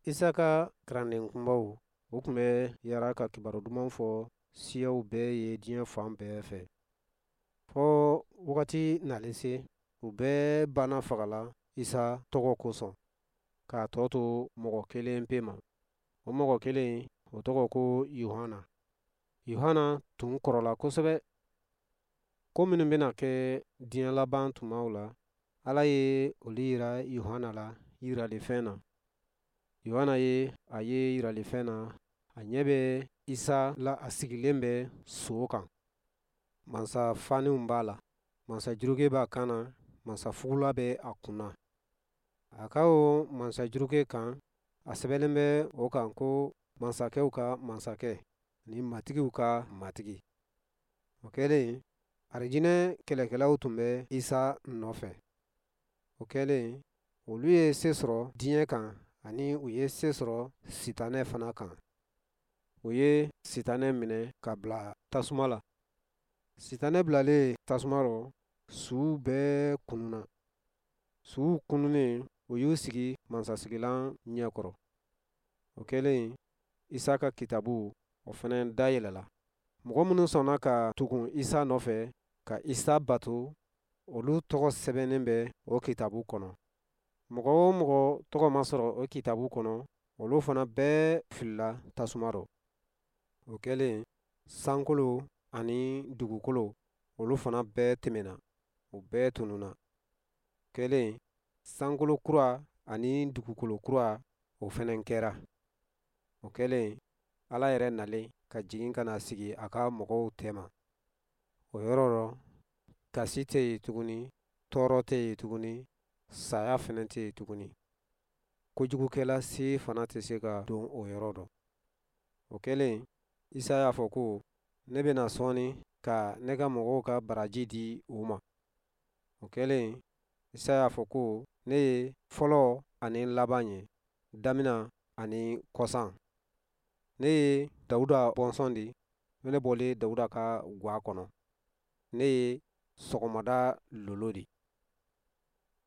Isa ka kalanden kunbaw, u tun bɛ yaara ka kibaru duman fɔ siyaw bɛɛ ye diɲɛ fan bɛɛ fɛ. Fɔ wagati nalen se, u bɛɛ banna fagala Isa tɔgɔ kosɔn, k'a tɔ to mɔgɔ kelen pe ma. O mɔgɔ kelen, o tɔgɔ ko Yuhana. Yuhana tun kɔrɔla kosɛbɛ. Ko minnu bɛna kɛ diɲɛ laban tumaw la, Ala ye olu yira Yuhana la yiralifɛn na. Yohana ye a ye yiralifɛn na, a ɲɛ bɛ Isa la a sigilen bɛ so kan. Mansa faniw b'a la, mansa juruke b'a kan na, mansa fugula bɛ a kun na. A ka o mansa juruke kan, a sɛbɛnlen bɛ o kan ko masakɛw ka masakɛ ani matigiw ka matigi. O kɛlen, arijinɛ kɛlɛkɛlaw tun bɛ Isa nɔfɛ. O kɛlen, olu ye se sɔrɔ diɲɛ kan ani u ye se sɔrɔ sitanɛ fana kan. U ye sitanɛ minɛ ka bila tasuma la. Sitanɛ bilalen tasuma rɔ, suw bɛɛ kununna. Suw kununnen, u y'u sigi mansasigilan ɲɛkɔrɔ. O kɛlen, Isa ka kitabu, o fana dayɛlɛla. Mɔgɔ minnu sɔnna ka tugun Isa nɔfɛ, ka Isa bato, olu tɔgɔ sɛbɛnnen bɛ o kitabu kɔnɔ. Mɔgɔ o mɔgɔ tɔgɔ ma sɔrɔ o kitabu kɔnɔ, olu fana bɛɛ filila tasuma rɔ. O kɛlen, sankolo ani dugukolo, olu fana bɛɛ tɛmɛna, u bɛɛ tununna. Kɛlen, sankolo kura ani dugukolo kura, o fana kɛra. O kɛlen, Ala yɛrɛ nalen ka jigin ka na sigi a ka mɔgɔw tɛma. O yɔrɔ rɔ, kasi tɛ yen tuguni, tɔɔrɔ tɛ yen tuguni, saya fana tɛ yen tuguni. Kojugukɛla si fana tɛ se ka don o yɔrɔ dɔ. O kɛlen, Isa y'a fɔ ko, ne bɛna sɔɔni ka ne ka mɔgɔw ka baraji di u ma. O kɛlen, Isa y'a fɔ ko, ne ye fɔlɔ ani laban ye, damina ani kɔsan. Ne ye Dawuda bɔnsɔn di, ne bɔlen Dawuda ka gwa kɔnɔ. Ne ye sɔgɔmada lolo di.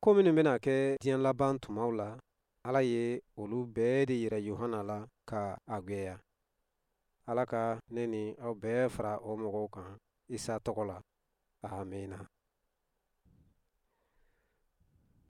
Ko minnu bɛna kɛ diɲɛ laban tumaw la, Ala ye olu bɛɛ de yira Yohana la ka a gwɛya. Ala ka ne ni aw bɛɛ fara o mɔgɔw kan Isa tɔgɔ la. Amiina.